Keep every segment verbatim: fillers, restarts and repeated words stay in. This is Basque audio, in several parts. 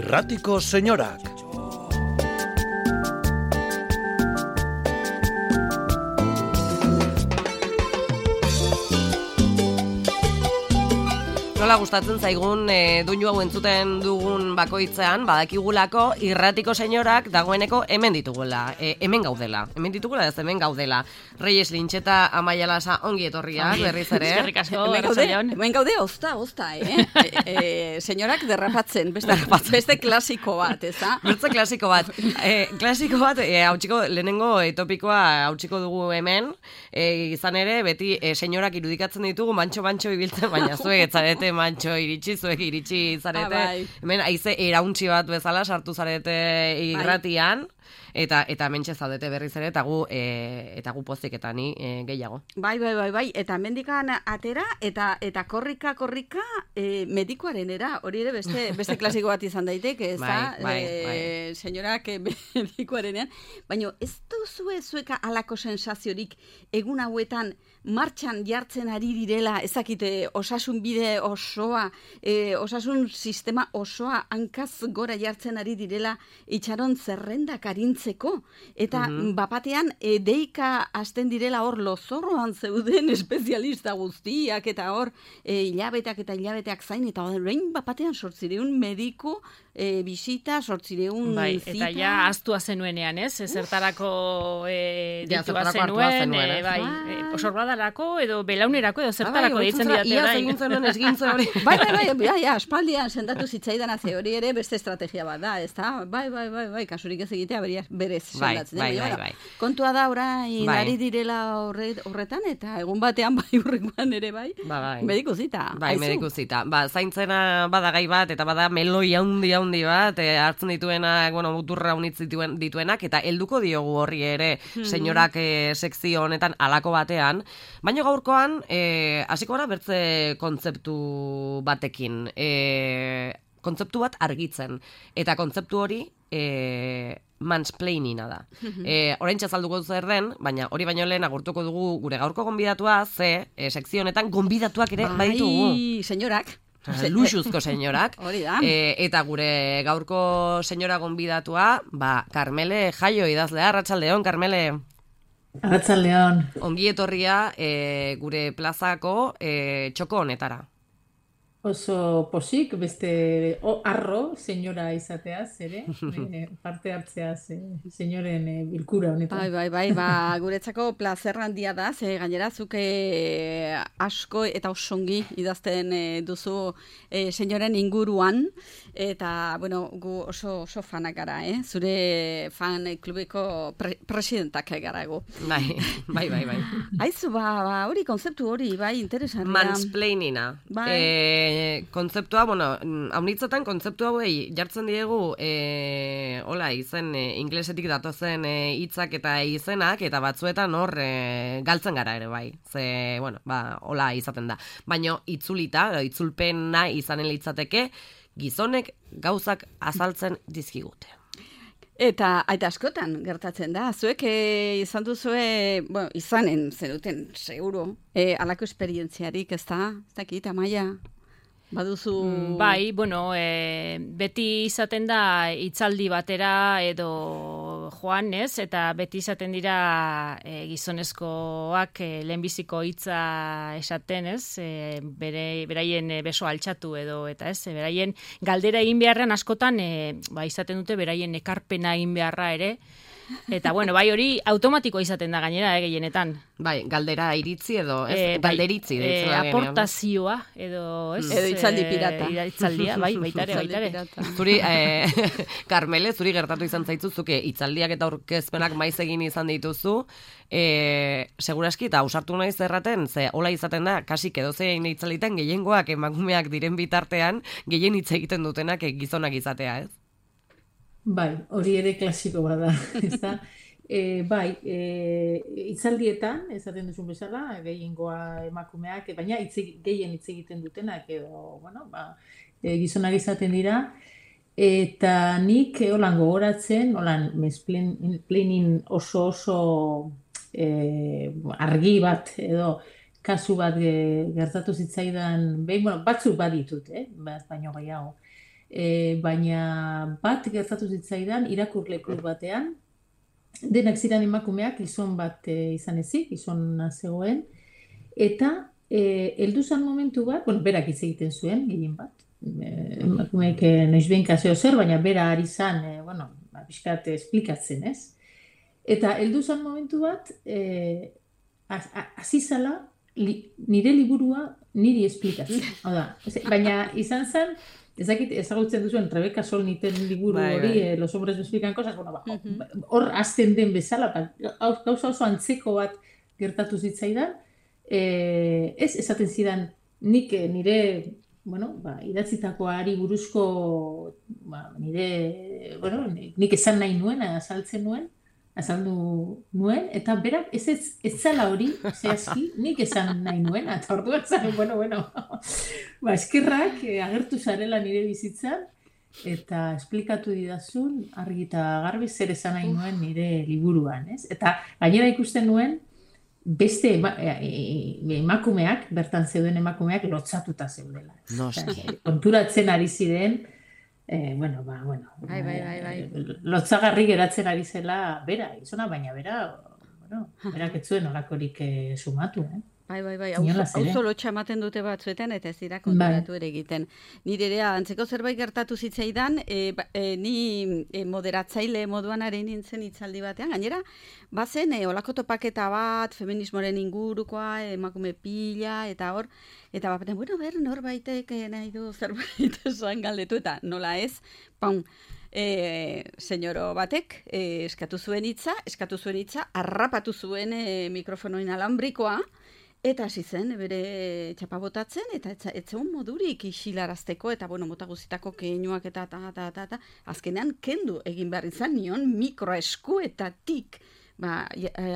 Irratiko Señorak. Nola gustatzen zaigun e, doinu hau entzuten dugun bakoitzean, badakigulako Irratiko Señorak dagoeneko hemen ditugula, e, hemen gaudela, hemen ditugula ez hemen gaudela. Reyes Lintxeta, Amaia Lasa, ongi etorriak, berriz ere. Eskerrik asko, hemen gaude, hemen gaude, ozta, ozta, eh? e, e, señorak derrapatzen, beste, beste klasiko bat, ez da? Beste klasiko bat, e, klasiko bat, e, hautsiko, lehenengo e, topikoa hautsiko dugu hemen, e, izan ere, beti e, señorak irudikatzen ditugu, mantxo-mantxo ibiltzen, baina zuek etzarete mantxo iritsi, zuek iritsi zarete, ah, bai. hemen haize erauntxi bat bezala sartu zarete irratian, eta eta mentxe zaudete berriz ere, eta gu, e, eta gu pozik eta ni e, gehiago. Bai, bai, bai, bai, eta mendikan atera, eta eta korrika, korrika, e, medikoarenera, hori ere beste, beste klasiko bat izan daiteke, ez da? Bai, bai, e, bai. Senyorak e, medikoarenean, baina ez duzue zueka alako sensaziorik egun hauetan martxan jartzen ari direla, ezakite osasun bide osoa, e, osasun sistema osoa hankaz gora jartzen ari direla itxaron zerrendak arintzeko, eta mm-hmm. bapatean e, deika hasten direla hor lozorroan zeuden espezialista guztiak, eta hor e, hilabeteak eta hilabeteak zain, eta horrein bapatean sortzireun mediku e, bisita, sortzireun bai, zita. eta ja astua zenuenean, ez? Ezertarako e, Ja, ditua zertarako zenuen, zenuen, e, ez? bai, Bai. e, osorbadarako edo belaunerako edo zertarako Ah, bai, deitzen oitzun diate zara, bai. iaz egin zenuen esgintza hori. Bai, bai, bai, bai, ja, aspaldian sendatu zitzaidan haze hori ere beste estrategia bat da, ez da? Bai, bai, bai, bai, kasurik ez egitea beria, berez Bai, sendatzen. bai, Baina, bai, bueno, bai. Kontua da orain Bai. ari direla horre, horretan, eta egun batean bai urrengoan ere bai, Ba, bai. mediku zita. Bai, Aizu. mediku zita. Ba, zaintzena bada gai bat, eta bada meloi handi handi bat, e, hartzen dituenak, bueno, muturra unitz dituen, dituenak, eta helduko diogu horri ere, senyorak e, sekzio honetan alako batean, baina gaurkoan, e, hasiko gara bertze kontzeptu batekin. E, kontzeptu bat argitzen. Eta kontzeptu hori e, mansplainina da. E, orain txazalduko zer den, baina hori baino lehen agurtuko dugu gure gaurko gonbidatua, ze e, sekzio honetan gonbidatuak ere Bai, baditugu. senyorak. Luxuzko senyorak. Hori da. E, eta gure gaurko senyora gonbidatua, ba, Karmele Jaio idazlea, arratsaldeon, Karmele. Arratsaldeon. Ongi etorria e, gure plazako e, txoko honetara. Oso posik, beste o, arro, senyora izateaz, ere, e, parte hartzeaz, e, senyoren e, bilkura honetan. Bai, bai, bai, ba, guretzako plazer handia da, ze gainera zuke asko eta osongi idazten e, duzu e, senyoren inguruan, eta, bueno, gu oso, oso fanak gara, eh? Zure fan klubeko pre presidentak gara gu. Bai, bai, bai, bai. Aizu, ba, ba, hori kontzeptu hori, bai, interesantea. Mansplainina. Bai. E, kontzeptua, bueno, haunitzetan kontzeptu hauei jartzen diegu e, hola, izen e, inglesetik datozen hitzak e, eta izenak, eta batzuetan hor e, galtzen gara ere, bai. Ze, bueno, ba, hola izaten da. Baina itzulita, itzulpena izanen litzateke, gizonek gauzak azaltzen dizkigute. Eta, eta askotan gertatzen da, zuek e, izan duzue, bueno, izanen zenuten, seguro, e, alako esperientziarik, ez da? Ez dakit, Amaia? Baduzu... Mm, bai, bueno, e, beti izaten da hitzaldi batera edo joan, ez? Eta beti izaten dira e, gizonezkoak e, lehenbiziko hitza esaten, ez? E, bere, beraien e, beso altxatu edo, eta ez? E, beraien galdera egin beharrean askotan, e, ba, izaten dute beraien ekarpena egin beharra ere. Eta, bueno, bai hori automatikoa izaten da gainera, eh, gehienetan. Bai, galdera iritzi edo, ez? E, Galderitzi. e, deitzen da genean. aportazioa edo, ez? Edo hitzaldi pirata. E, hitzaldia, bai, baitare, baitare. Zuri, eh, Karmele, zuri gertatu izan zaitzu, zuke hitzaldiak eta aurkezpenak maiz egin izan dituzu, eh, seguraski eta ausartu naiz erraten, ze hola izaten da, kasik edozein hitzalditan gehiengoak emakumeak diren bitartean, gehien hitz egiten dutenak gizonak izatea, ez? Bai, hori ere klasiko bada, ez da? E, bai, e, hitzaldietan, esaten duzun bezala, gehiengoa emakumeak, baina hitz, gehien hitz egiten dutenak, edo, bueno, ba, e, gizonak izaten dira, eta nik holan gogoratzen, holan mansplaining oso oso e, argi bat, edo kasu bat e, gertatu zitzaidan, behin, bueno, batzuk baditut, eh? baino gehiago. E, baina bat gertatu zitzaidan irakurle klub batean, denak ziren emakumeak, gizon bat e, izan ezik, gizona zegoen, eta e, heldu zan momentu bat, bueno, berak hitz egiten zuen, gehien bat, e, emakumeek e, noizbehinka zeo zer, baina bera ari zan, e, bueno, ba, pixkat esplikatzen, ez? Eta heldu zan momentu bat, e, hasi zala, li, nire liburua niri esplikatzen. Hau da, baina izan zen, ezakit ezagutzen duzuen Rebeka Solniten liburu bai, hori, bai. eh, Los hombres me explican cosas, bueno, ba, hor azten den bezala, ba, gauza oso antzeko bat gertatu zitzaidan, eh, ez esaten zidan nik nire, bueno, ba, idatzitakoari buruzko, ba, nire, bueno, nik esan nahi nuen, azaltzen nuen, azaldu nuen, eta berak ez ez, ez zala hori, zehazki, nik esan nahi nuen, eta orduan zaren, bueno, bueno, ba, eskerrak eh, agertu zarela nire bizitzan, eta esplikatu didazun, argi eta garbi zer esan nahi nuen nire liburuan, ez? Eta gainera ikusten nuen, beste ema, emakumeak, bertan zeuden emakumeak, lotzatuta zeudela. Noski. Konturatzen ari ziren, Eh, bueno, ba, bueno. Bai, bai, bai, bai. Eh, lotzagarri geratzen ari zela bera, izona, baina bera, bueno, berak ez zuen olakorik eh, sumatu, eh? Bai, bai, bai, Inolaz ere. auzo lotxa ematen dute batzuetan, eta ez dira konturatu ere egiten. Nire ere, antzeko zerbait gertatu zitzaidan, e, ba, e, ni e, moderatzaile moduan ari nintzen hitzaldi batean, gainera, bazen, e, olako topaketa bat, feminismoren ingurukoa, emakume pila, eta hor, eta batean, bueno, ber, norbaitek eh, nahi du zerbait esan galdetu, eta nola ez, paun, E, senyoro batek e, eskatu zuen hitza, eskatu zuen hitza, harrapatu zuen e, mikrofono inalambrikoa, eta hasi zen bere txapa botatzen, eta ez zegoen modurik isilarazteko, eta bueno, mota guztitako keinuak eta ta, ta, ta, ta, azkenean kendu egin behar izan nion mikroeskuetatik, ba,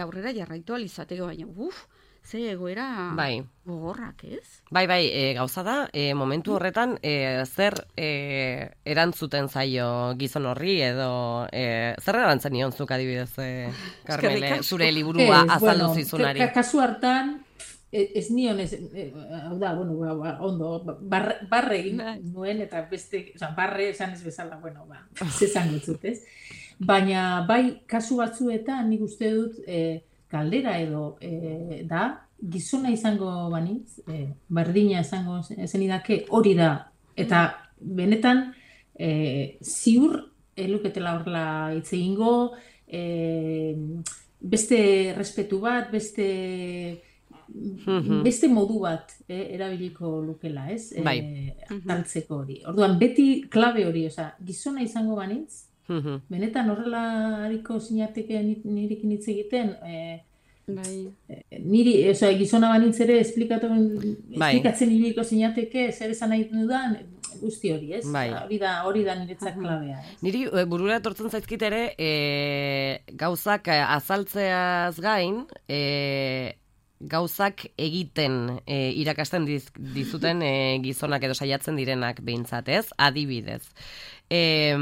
aurrera jarraitu alizateko, baina, uf, ze egoera bai. gogorrak, ez? Bai, bai, e, gauza da, e, momentu horretan, e, zer e, erantzuten zaio gizon horri, edo e, zer erantzen nion zuk adibidez, e, Karmele, zure liburua Ez, azaldu bueno, zizunari. ka- Kasu hartan, e- ez nion, ez, e, hau da, bueno, ba, ba, ondo, barre, barre egin Bai. nuen, eta beste, oza, barre esan ez bezala, bueno, ba, zezan gutzut, ez? Baina, bai, kasu batzuetan, nik uste dut, e, galdera edo e, da, gizona izango banitz, e, berdina izango zenidake hori da. Eta benetan, e, ziur, e, luketela horrela hitz egingo, e, beste respetu bat, beste beste modu bat e, erabiliko lukela, ez? Bai. E, azaltzeko hori. Orduan, beti klabe hori, oza, gizona izango banitz, benetan horrela hariko zinateke nirekin hitz egiten, e, Bai. niri, oza, gizona banitz ere esplikatu, Bai. esplikatzen iriko zinateke zer esan nahi dudan, guzti hori, ez? Bai. Hori da, hori da niretzat klabea, ez? Niri e, burura etortzen zaizkit ere, e, gauzak e, azaltzeaz gain, e, gauzak egiten e, irakasten diz, dizuten e, gizonak edo saiatzen direnak behintzat, ez? Adibidez. E,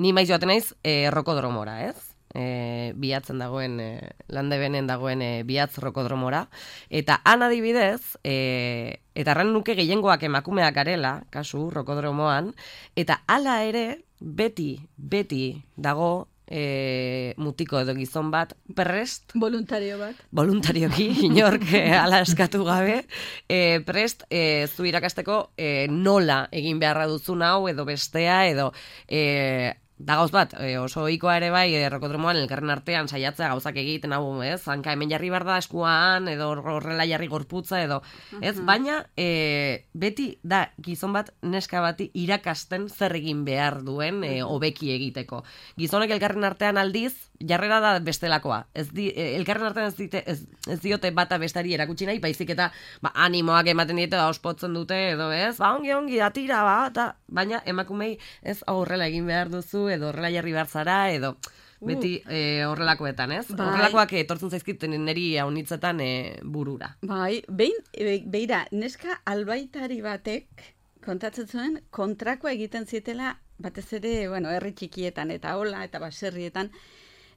ni maiz joaten naiz e, rokodromora, ez? E, bihatzen dagoen, e, Landebenen dagoen e, bihatz rokodromora, eta han adibidez, e, eta arran nuke gehiengoak emakumeak garela, kasu, rokodromoan, eta hala ere, beti, beti dago e, mutiko edo gizon bat prest, Voluntario bat. voluntarioki, inork e, ala eskatu gabe, e, prest e, zu irakasteko e, nola egin beharra duzun hau edo bestea edo e, da gauz bat, e, oso ohikoa ere bai, e, rokodromoan elkarren artean saiatzea gauzak egiten hau, ez? Hanka hemen jarri behar da eskuan, edo horrela jarri gorputza, edo, ez? Baina, e, beti da gizon bat neska bati irakasten zer egin behar duen e, hobeki egiteko. Gizonek elkarren artean aldiz, jarrera da bestelakoa. Ez di, e, elkarren artean ez, dite, ez, ez diote bata bestari erakutsi nahi, baizik eta ba, animoak ematen diete, da ospotzen dute, edo ez? Ba, ongi, ongi, atira, ba, eta, baina emakumei ez horrela egin behar duzu, edo horrela jarri behar zara, edo beti e, horrelakoetan, ez? Bai. Horrelakoak etortzen zaizkiten niri haunitzetan e, burura. Bai, behin, e, beira, neska albaitari batek kontatzen zuen kontrakoa egiten zietela batez ere, bueno, herri txikietan eta hola eta baserrietan.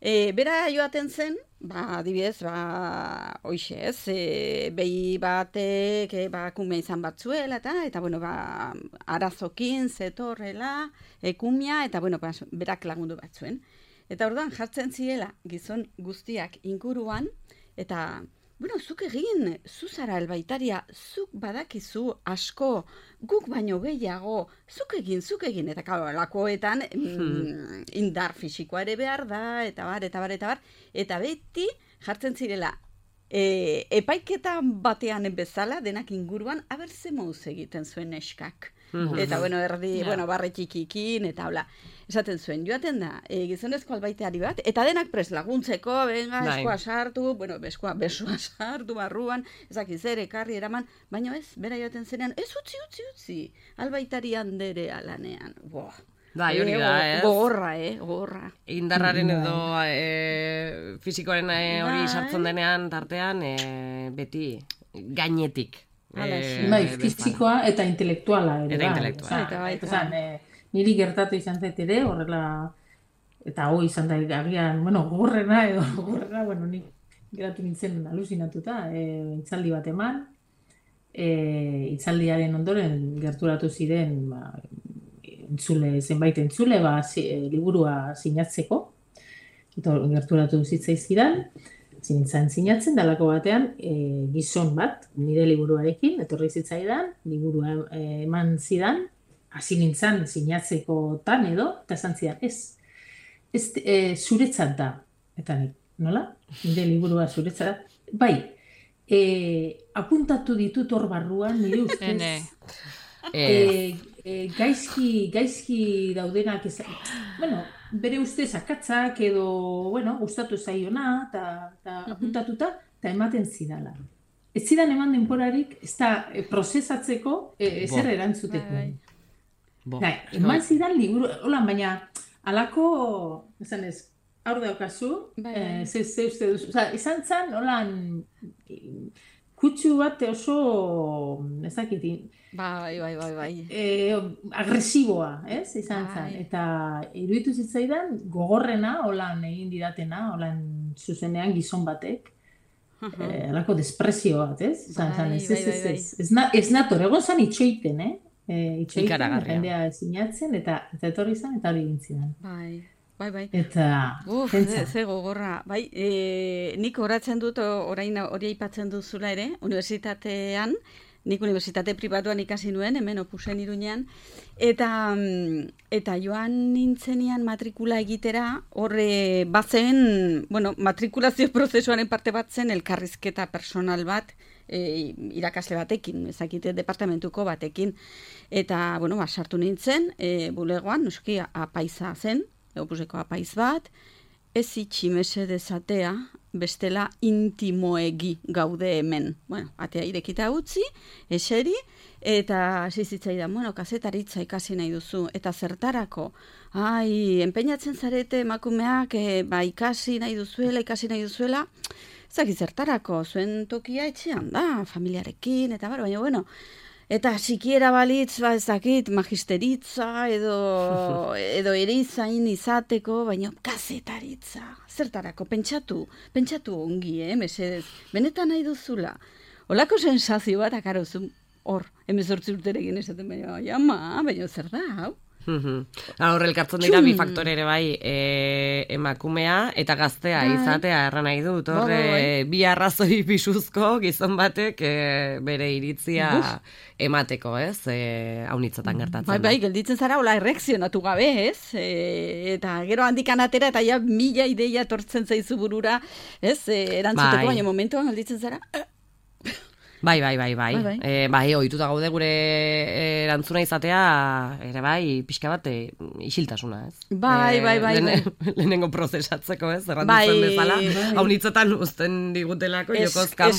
E, bera joaten zen, ba, adibidez, ba, hoxe ez, e, behi batek, e, ba, kume izan batzuela, eta, eta, bueno, ba, arazokin, zetorrela, e, kumia, eta, bueno, ba, berak lagundu batzuen. Eta orduan jartzen zirela gizon guztiak inguruan, eta, bueno, zuk egin, zu zara albaitaria, zuk badakizu asko, guk baino gehiago, zuk egin, zuk egin, eta karo, lakoetan mm, indar fisikoa ere behar da, eta bar, eta bar, eta bar, eta beti jartzen zirela, e, epaiketa batean bezala, denak inguruan, aber ze mouz egiten zuen neskak. Eta, bueno, erdi, yeah. bueno, barre txikikin, eta hola. Esaten zuen, joaten da, e, gizonezko albaiteari bat, eta denak pres laguntzeko, benga, eskoa sartu, bueno, beskoa, besoa sartu, barruan, ezaki zer, ekarri, eraman, baina ez, bera joaten zenean, ez utzi, utzi, utzi, albaitari handere alanean, boh. Bai, hori da, ez? Gogorra, eh, gogorra. Indarraren edo e, fisikoaren e, hori sartzen denean, tartean, e, beti gainetik. E, bai, fisikoa eta intelektuala ere. Eta intelektuala. Eta bai, eta e, niri gertatu izan zait ere, horrela, eta hoi izan da agian, bueno, gogorrena edo gogorrena, bueno, nik geratu nintzen alusinatuta, e, itzaldi bat eman, e, itzaldiaren ondoren gerturatu ziren, ba, entzule, zenbait entzule, ba, zi, e, liburua sinatzeko, eta gerturatu zitzaizkidan, zintzen sinatzen, dalako batean e, gizon bat, nire liburuarekin, etorri zitzaidan, liburua e, eman zidan, hasi nintzen sinatzekotan edo, eta esan zidan, ez, ez e, zuretzat da, eta nik, nola? Nire liburua zuretzat da, bai, e, apuntatu ditut hor barruan, nire ustez, e, e, gaizki, gaizki daudenak, ez, bueno, bere ustez akatzak edo, bueno, gustatu zaiona, eta apuntatuta, eta ematen zidala. Ez zidan eman denporarik, ez da prozesatzeko ezer erantzuteko. Gai, eman zidan liburu, hola, baina, alako, esan ez, aur daukazu, ze uste duzu, oza, izan zan, holan, kutsu bat oso, ez dakitin, Bai, bai, bai, bai. E, agresiboa, ez? Izan bai. Zan. Eta iruditu zitzaidan gogorrena, holan egin didatena, holan zuzenean gizon batek, uh-huh. e, alako desprezio bat, ez? Izan bai, zan, ez, bai, ez, ez, ez, ez, ez, na, ez nator, egon zan itxoiten, eh? E, itxoiten, jendea sinatzen, eta, eta etorri zan, eta hori gintzidan. Bai. Bai, bai. Eta, Uf, ze, ze gogorra. Bai, e, nik horatzen dut, orain hori aipatzen duzula ere, unibertsitatean, nik unibertsitate pribatuan ikasi nuen, hemen Opusen Iruñean, eta, eta joan nintzenian matrikula egitera, horre bazen, bueno, matrikulazio prozesuaren parte bat zen elkarrizketa personal bat, e, irakasle batekin, ezakite departamentuko batekin, eta, bueno, ba, sartu nintzen, e, bulegoan, noski, apaiza zen, Opuseko apaiz bat, ez itxi mesedezatea, bestela intimoegi gaude hemen. Bueno, atea irekita utzi, eseri, eta zizitzaidan, bueno, kazetaritza ikasi nahi duzu, eta zertarako, ai, enpeinatzen zarete emakumeak, e, ba, ikasi nahi duzuela, ikasi nahi duzuela, zaki zertarako, zuen tokia etxean da, familiarekin, eta bar, baina, bueno, eta sikiera balitz, ba, ez dakit, magisteritza, edo, edo erizain izateko, baina kazetaritza, zertarako, pentsatu, pentsatu ongi, eh, mesedez, benetan nahi duzula. Olako sensazio bat, akarozu, hor, emezortzi urterekin esaten, baina, ama, baina zer da, hau? Hor elkartzen dira bi faktore ere bai, e, emakumea eta gaztea bai. Izatea erran nahi dut, hor e, bi arrazoi pisuzko gizon batek e, bere iritzia Uf. Emateko, ez, e, haunitzatan gertatzen. Bai, bai, gelditzen zara, hola erreakzionatu gabe, ez, e, eta gero handikan atera eta ja mila ideia tortzen zaizu burura, ez, e, erantzuteko, bai. Baina momentuan gelditzen zara, Bai, bai, bai, bai. Bai, bai. E, bai ohituta gaude gure erantzuna izatea, ere bai, pixka bat, e, isiltasuna, ez? Bai, bai, bai. Lehen, bai. Lehenengo prozesatzeko, ez? Errantzen bai, bezala. Bai. Haunitzetan uzten digutelako, es, jokoz kanpo.